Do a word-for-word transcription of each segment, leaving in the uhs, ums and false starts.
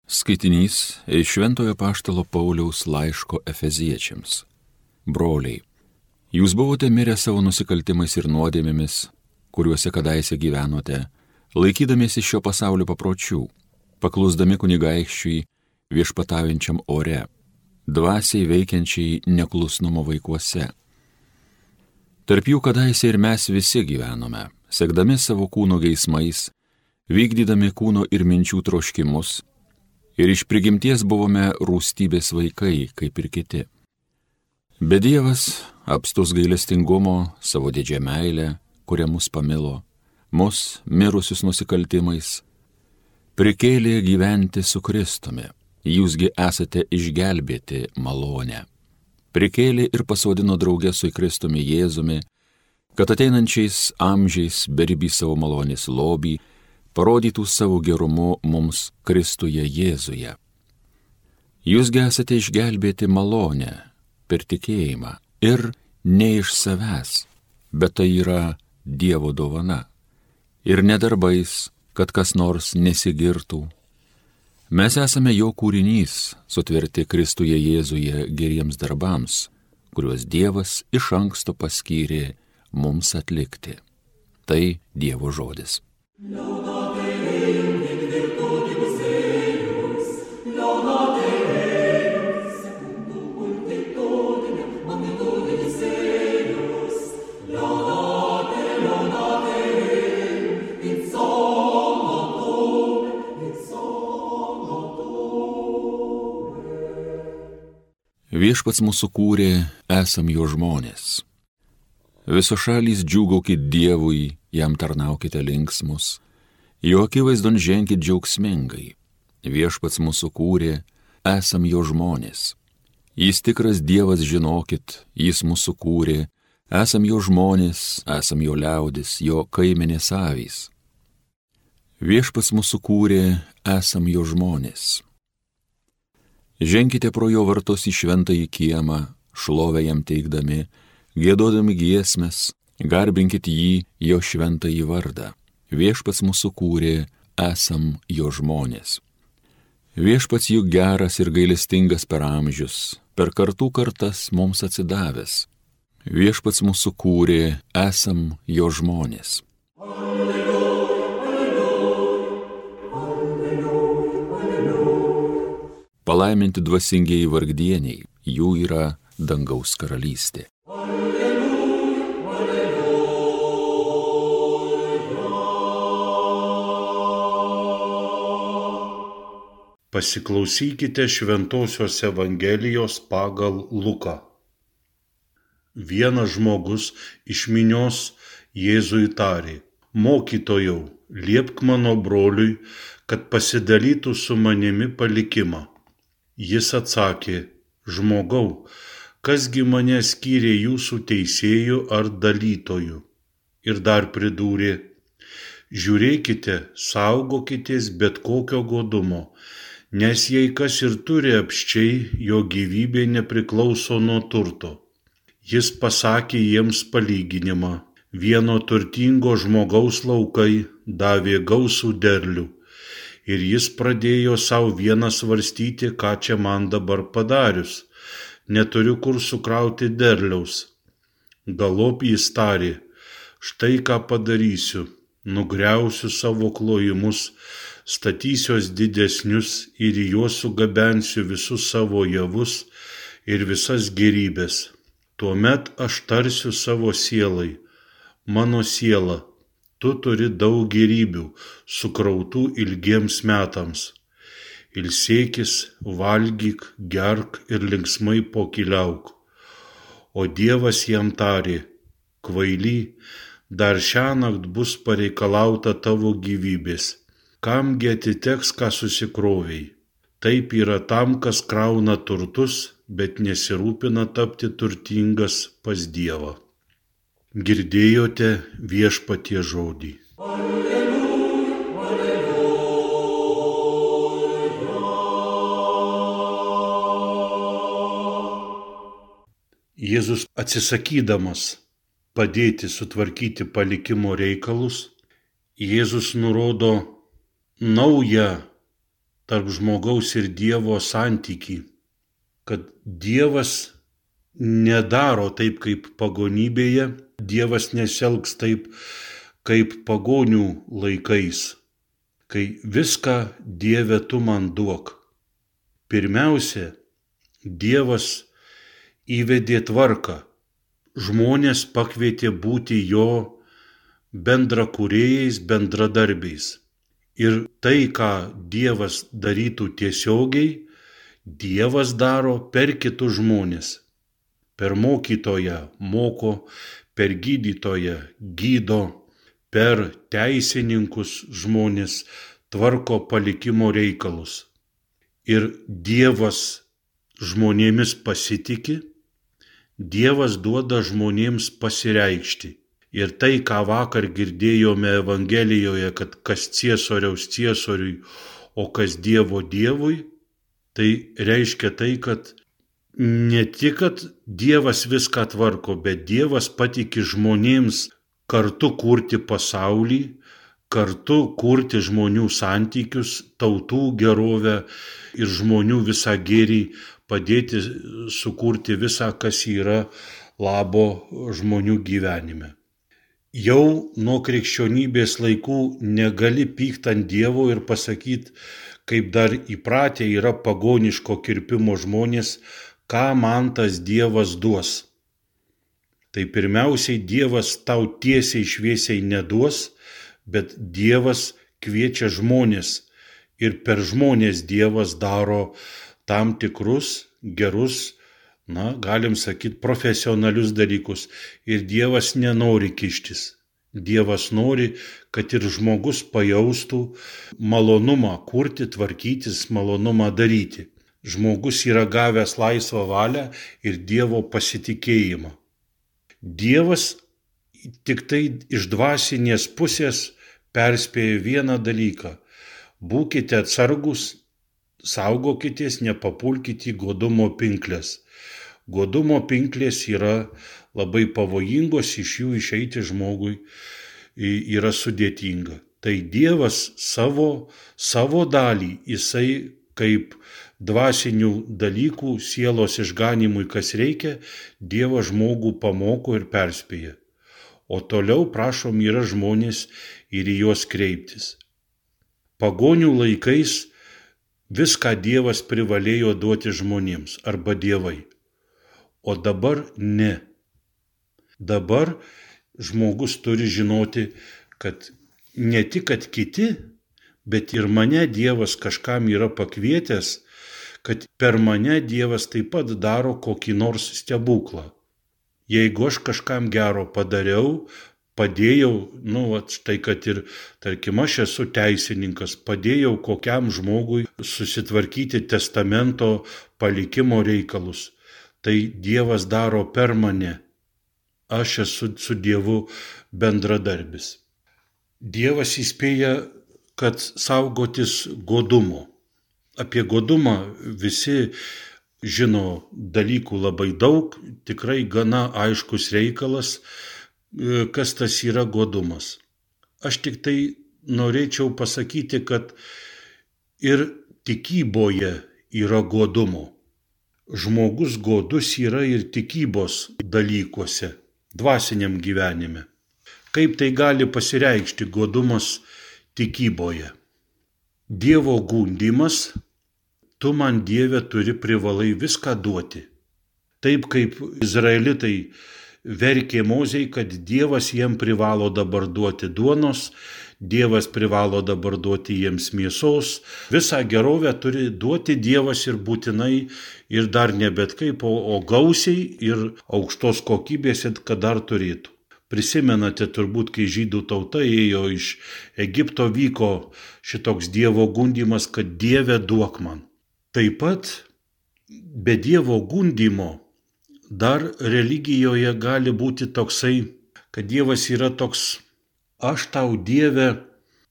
Skaitinys iš Šventojo Apaštalo Pauliaus laiško Efeziečiams. Broliai, jūs buvote mirę savo nusikaltimais ir nuodėmėmis, kuriuose kadaise gyvenote, laikydamiesi šio pasaulio papročių, paklusdami kunigaikščiui viešpataujančiam ore, dvasiai veikiančiai neklusnumo vaikuose. Tarp jų kadaise ir mes visi gyvenome, sekdami savo kūno geismais, vykdydami kūno ir minčių troškimus, ir iš prigimties buvome rūstybės vaikai, kaip ir kiti. Bet Dievas, apstus gailestingumo, savo didžią meilę, kurią mus pamilo, mus, mirusius nusikaltimais, prikėlė gyventi su Kristumi. Jūsgi esate išgelbėti malonę. Prikėlė ir pasodino drauge su Kristumi Jėzumi, kad ateinančiais amžiais beribį savo malonės lobį parodytų savo gerumu mums Kristuje Jėzuje. Jūsgi esate išgelbėti malonę per tikėjimą ir ne iš savęs, bet tai yra Dievo dovana. Ir ne darbais, kad kas nors nesigirtų. Mes esame jo kūrinys, sutverti Kristuje Jėzuje geriems darbams, kuriuos Dievas iš anksto paskyrė mums atlikti. Tai Dievo žodis. Viešpats mūsų kūrė, esam jo žmonės. Visos šalys džiūgaukit Dievui, jam tarnaukite linksmus, jo akivaizdon ženkit džiaugsmingai. Viešpats mūsų kūrė, esam jo žmonės. Jis tikras Dievas, žinokit, jis mūsų kūrė, esam jo žmonės, esam jo liaudis, jo kaimenės avys. Viešpats mūsų kūrė, esam jo žmonės. Ženkite pro jo vartus į šventąjį kiemą, šlovę jam teikdami, giedodami giesmes, garbinkit jį, jo šventąjį vardą. Viešpats mūsų kūrė, esam jo žmonės. Viešpats juk geras ir gailestingas per amžius, per kartų kartas mums atsidavęs. Viešpats mūsų kūrė, esam jo žmonės. Palaiminti dvasingieji vargdieniai, jų yra dangaus karalystė. Pasiklausykite Šventosios Evangelijos pagal Luką. Vienas žmogus iš minios Jėzui tarė: Mokytojau, liepk mano broliui, kad pasidalytų su manimi palikimą. Jis atsakė: Žmogau, kasgi mane skyrė jūsų teisėjų ar dalytojų? Ir dar pridūrė: Žiūrėkite, saugokitės bet kokio godumo, nes jei kas ir turi apsčiai, jo gyvybė nepriklauso nuo turto. Jis pasakė jiems palyginimą: Vieno turtingo žmogaus laukai davė gausų derlių. Ir jis pradėjo savo vieną svarstyti, ką čia man dabar padarius. Neturiu kur sukrauti derliaus. Galop jis tarė: Štai ką padarysiu. Nugriausiu savo klojimus, statysiuos didesnius ir į juos sugabensiu visus savo javus ir visas gėrybes. Tuomet aš tarsiu savo sielai: Mano siela, tu turi daug gėrybių, sukrautų ilgiems metams. Ilsėkis, valgyk, gerk ir linksmai pokyliauk. O Dievas jam tarė: Kvaily, dar šiąnakt bus pareikalauta tavo gyvybės. Kamgi atiteks, ką susikrovei? Taip yra tam, kas krauna turtus, bet nesirūpina tapti turtingas pas Dievą. Girdėjote Viešpaties žodį. Alleluja, alleluja. Jėzus atsisakydamas padėti sutvarkyti palikimo reikalus, Jėzus nurodo naują tarp žmogaus ir Dievo santykį, kad Dievas nedaro taip kaip pagonybėje, Dievas nesielgs taip kaip pagonių laikais, kai viską Dieve tu man duok. Pirmiausia, Dievas įvedė tvarką, žmonės pakvietė būti jo bendrakūrėjais, bendradarbiais. Ir tai, ką Dievas darytų tiesiogiai, Dievas daro per kitus žmonės. Per mokytoją moko, per gydytoją gydo, per teisininkus žmonės tvarko palikimo reikalus. Ir Dievas žmonėmis pasitiki, Dievas duoda žmonėms pasireikšti. Ir tai, ką vakar girdėjome Evangelijoje, kad kas ciesoriaus ciesoriui, o kas Dievo Dievui, tai reiškia tai, kad ne tik, kad Dievas viską tvarko, bet Dievas patiki žmonėms kartu kurti pasaulį, kartu kurti žmonių santykius, tautų gerovę ir žmonių visą gėrį, padėti sukurti visą, kas yra labo žmonių gyvenime. Jau nuo krikščionybės laikų negali pykti ant Dievo ir pasakyti, kaip dar įpratę yra pagoniško kirpimo žmonės, ką man tas Dievas duos. Tai pirmiausiai Dievas tau tiesiai šviesiai neduos, bet Dievas kviečia žmonės ir per žmonės Dievas daro tam tikrus gerus, na, galim sakyti, profesionalius dalykus. Ir Dievas nenori kištis. Dievas nori, kad ir žmogus pajaustų malonumą kurti, tvarkytis, malonumą daryti. Žmogus yra gavęs laisvą valią ir Dievo pasitikėjimą. Dievas tik tai iš dvasinės pusės perspėja vieną dalyką. Būkite atsargus, saugokitės, nepapulkite į godumo pinklės. Godumo pinklės yra labai pavojingos, iš jų išeiti žmogui yra sudėtinga. Tai Dievas savo, savo dalį, jisai kaip dvasinių dalykų, sielos išganimui, kas reikia, Dievas žmogų pamoko ir perspėja. O toliau, prašom, yra žmonės ir į juos kreiptis. Pagonių laikais viską Dievas privalėjo duoti žmonėms arba dievai. O dabar ne. Dabar žmogus turi žinoti, kad ne tik kad kiti, bet ir mane Dievas kažkam yra pakvietęs, kad per mane Dievas taip pat daro kokį nors stebuklą. Jeigu aš kažkam gero padariau, padėjau, nu, vat, štai kad ir, tarkim, aš esu teisininkas, padėjau kokiam žmogui susitvarkyti testamento palikimo reikalus. Tai Dievas daro per mane. Aš esu su Dievu bendradarbis. Dievas įspėja, kad saugotis godumo. Apie godumą visi žino dalykų labai daug, tikrai gana aiškus reikalas, kas tas yra godumas. Aš tik tai norėčiau pasakyti, kad ir tikyboje yra godumo. Žmogus godus yra ir tikybos dalykuose, dvasiniam gyvenime. Kaip tai gali pasireikšti godumas tikyboje? Dievo gundymas, tu man Dieve turi privalai viską duoti. Taip kaip izraelitai verkė Mozei, kad Dievas jiem privalo dabar duoti duonos, Dievas privalo dabar duoti jiems mėsos, visą gerovę turi duoti Dievas ir būtinai ir dar ne bet kaip, o, o gausiai ir aukštos kokybės, kad dar turėtų. Prisimenate turbūt, kai žydų tauta ėjo iš Egipto, vyko šitoks Dievo gundymas, kad Dieve duok man. Taip pat be Dievo gundymo dar religijoje gali būti toksai, kad Dievas yra toks, aš tau Dieve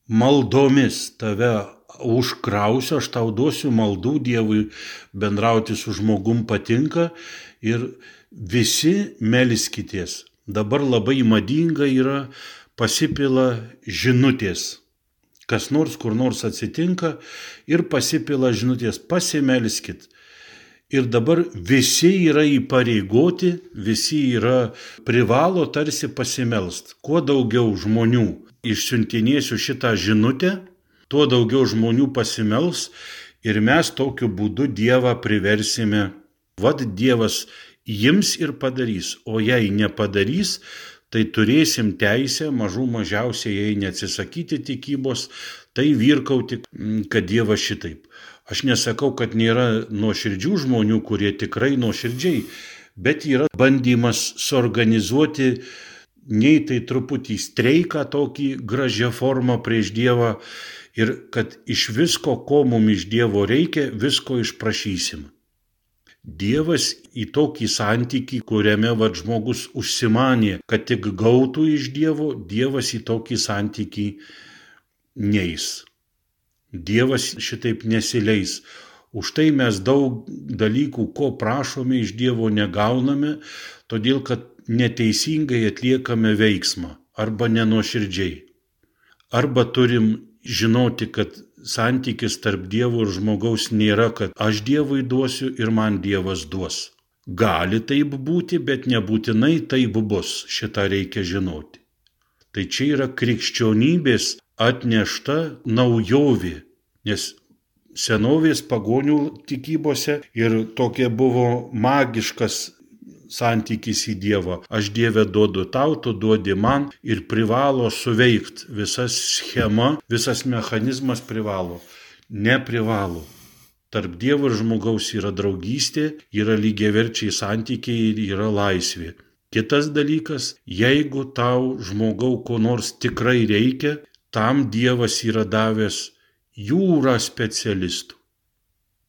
maldomis tave užkrausiu, aš tau duosiu maldų, Dievui bendrauti su žmogum patinka ir visi melskitės. Dabar labai madinga yra pasipila žinutės, kas nors kur nors atsitinka ir pasipila žinutės pasimelskit. Ir dabar visi yra įpareigoti, visi yra privalo tarsi pasimelst. Kuo daugiau žmonių išsiuntinėsiu šitą žinutę, tuo daugiau žmonių pasimels ir mes tokiu būdu Dievą priversime. Vat Dievas ims ir padarys, o jei nepadarys, tai turėsim teisę mažų mažiausiai, jei neatsisakyti tikybos, tai virkauti, kad Dievas šitaip. Aš nesakau, kad nėra nuoširdžių žmonių, kurie tikrai nuoširdžiai, bet yra bandymas suorganizuoti nei tai truputį streiką tokį gražią formą prieš Dievą ir kad iš visko, ko mums iš Dievo reikia, visko išprašysim. Dievas į tokį santykį, kuriame vat žmogus užsimanė, kad tik gautų iš Dievo, Dievas į tokį santykį neis. Dievas šitaip nesileis. Už tai mes daug dalykų, ko prašome iš Dievo, negauname, todėl kad neteisingai atliekame veiksmą arba nenuoširdžiai. Arba turim žinoti, kad santykis tarp Dievo ir žmogaus nėra, kad aš Dievui duosiu ir man Dievas duos. Gali taip būti, bet nebūtinai taip bus. Šitą reikia žinoti. Tai čia yra krikščionybės atnešta naujovė, nes senovės pagonių tikybose ir tokia buvo magiškas santykis į Dievą. Aš Dieve duodu tau, tu duodi man ir privalo suveikti. Visa schema, visas mechanizmas privalo. Neprivalo. Tarp Dievo ir žmogaus yra draugystė, yra lygiaverčiai santykiai ir yra laisvė. Kitas dalykas, jeigu tau žmogau ko nors tikrai reikia, tam Dievas yra davęs jūrą specialistų.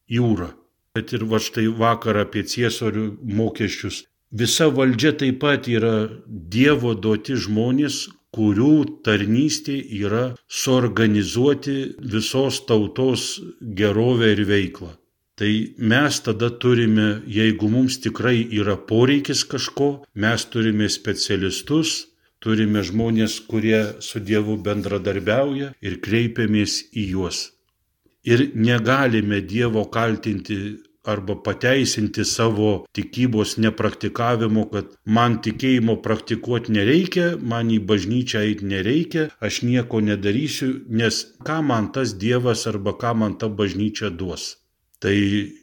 Jūrą. Bet ir va štai vakar apie ciesorių mokesčius. Visa valdžia taip pat yra Dievo duoti žmonės, kurių tarnystė yra suorganizuoti visos tautos gerovę ir veiklą. Tai mes tada turime, jeigu mums tikrai yra poreikis kažko, mes turime specialistus, turime žmonės, kurie su Dievu bendradarbiauja ir kreipiamės į juos. Ir negalime Dievo kaltinti arba pateisinti savo tikybos nepraktikavimo, kad man tikėjimo praktikuoti nereikia, man į bažnyčią eiti nereikia, aš nieko nedarysiu, nes ką man tas Dievas arba ką man ta bažnyčia duos. Tai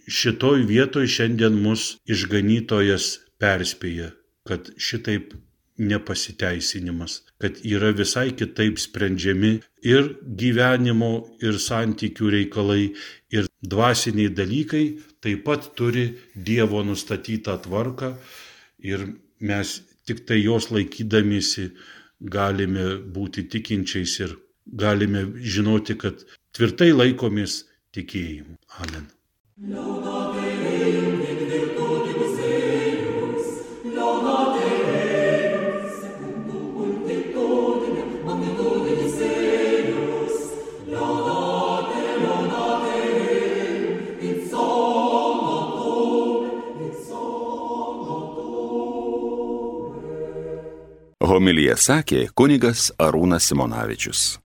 šitoj vietoj šiandien mus išganytojas perspėja, kad šitaip nepasiteisinimas, kad yra visai kitaip sprendžiami ir gyvenimo, ir santykių reikalai, ir dvasiniai dalykai taip pat turi Dievo nustatytą tvarką ir mes tik tai jos laikydamiesi galime būti tikinčiais ir galime žinoti, kad tvirtai laikomės tikėjimu. Amen. Laudate Deum in virtutibus eius, laudate Deum secundum multitudinem magnitudinis eius, laudate, laudate Deum in sonatore, in sonatore. Homiliją sakė kunigas Arūnas Simonavičius.